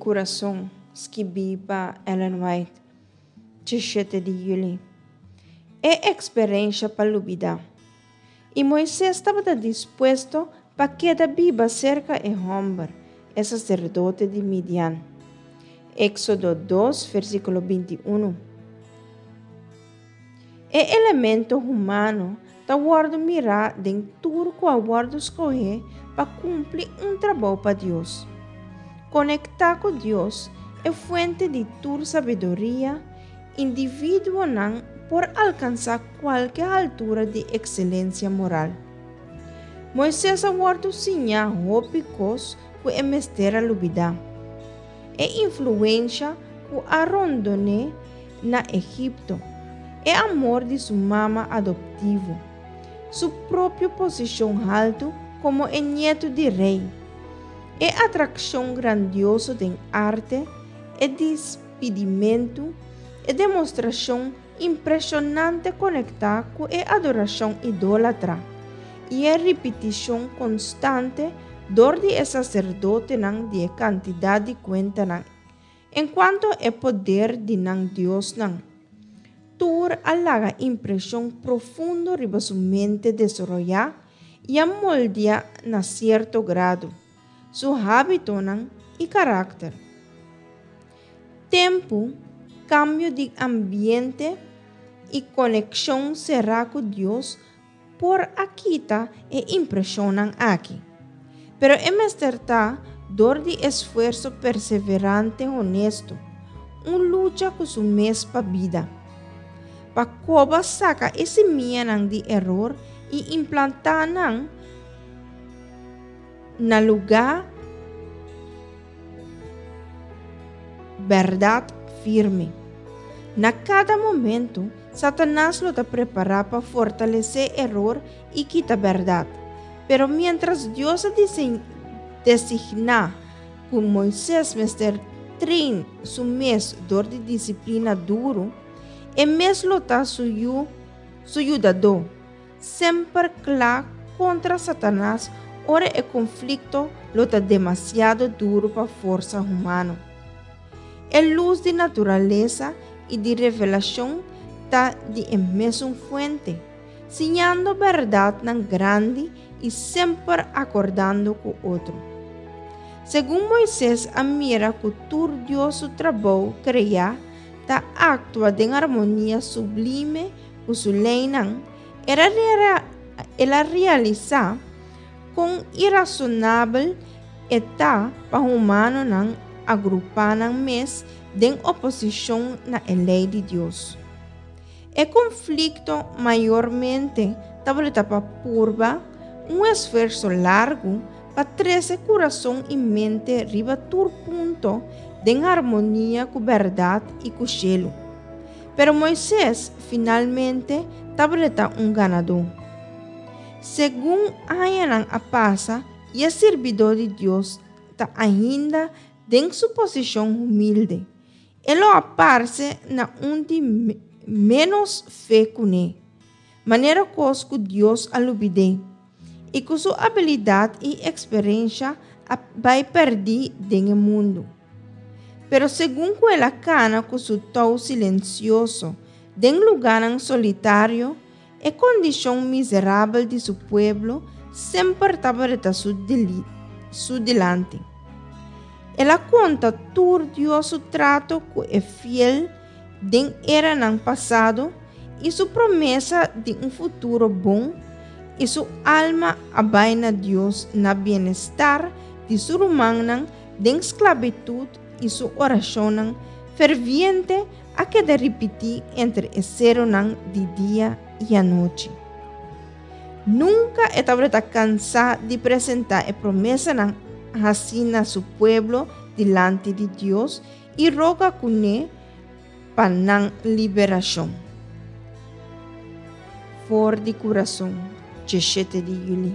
Kurason, skibí pa Ellen White, 17 di yüli. E eksperensha pa lubidá. I Moises tabata dispuesto pa keda biba serka e hòmber, e saserdote di Midian. Éksodo dos, versíkulo 21. E elemento humano ta wòrdu mirá den tur ku a wòrdu skohé pa kumpli un trabou pa Dios. Konektá ku Dios, e fuente di tur sabiduria, individuonan por alkansá kualke haltura di ekselensia moral. Moises a wòrdu siñá hopi kos ku e mester a lubidá. E influensha ku a rondon'é na Egipto, e amor di su mama adoptivo, su propio posishon haltu komo e nietu di rei, e atrakshon grandioso den arte, e dispidimentu, e demostrashon impreshonante konektá ku e adorashon idólatra, i e ripitishon konstante dor di e saserdotenan di e kantidat di kuentanan enkuanto e poder di nan diosnan. Tur a laga impreshon profundo riba su mente desaroyá i a moldia na sierto grado su hábitonan i karakter. Tempu, kambio di ambiente i konekshon será ku Dios por a kita e impreshonnan aki. Pero e mester ta dor di esfuerso perseverante honesto, un lucha ku su mes pa bida. Pa koba saka e simianan di eror i implantá nan na lugá bèrdat firme. Na kada momentu, Satanas lo ta prepará pa fortalesé eror i kita bèrdat. Pero miéntras Dios a designá ku Moises mester train su mes dor di disiplina duru, e mes lo ta su yu su yudadó, semper kla kontra Satanas ora e konflikto lo ta demasiado duru pa forsa humano. E lus di naturalesa i di revelashon ta di e mesun fuente, siñando bèrdatnan grandi i semper akordando ku otro. Segun Moises a mira ku tur Dios su trabou kreá ta aktua den armonia sublime ku su leinan, el a realisá kon irasonabel e ta pa humanonan agrupá nan mes den oposishon na e lei di Dios. E konflikto mayormente tabata pa purba un esfuerso largu pa trese kurason i mente riba tur punto den harmonia ku bèrdat i ku shelu. Pero Moises finalmente tabata un ganadó. Segun añanan a pasa i e sirbidó di Dios ta ainda den su posishon humilde, e lo a parse na un di ménos fe kuné, manera kos ku Dios a lubid'é i ku su abilidat i eksperensha a bai pèrdí den e mundu. Pero segun ku el a kana ku su tou silensioso den lugánan solitario, E kondishon miserabel di su pueblo semper tabata su dilanti. El a konta tur Dios su trato ku e fiel den eranan pasado i su promesa di un futuro bon, i su alma a bai na Dios na bienestar di su rumannan den sklabitut i su orashonnan ferviente a keda ripití entre e seronan di dia i anochi. Nunka e tabata kansá di presentá e promesanan hasí na su pueblo dilanti di Dios i roga kuné pa nan liberashon. For di kurason, 17 di yüli.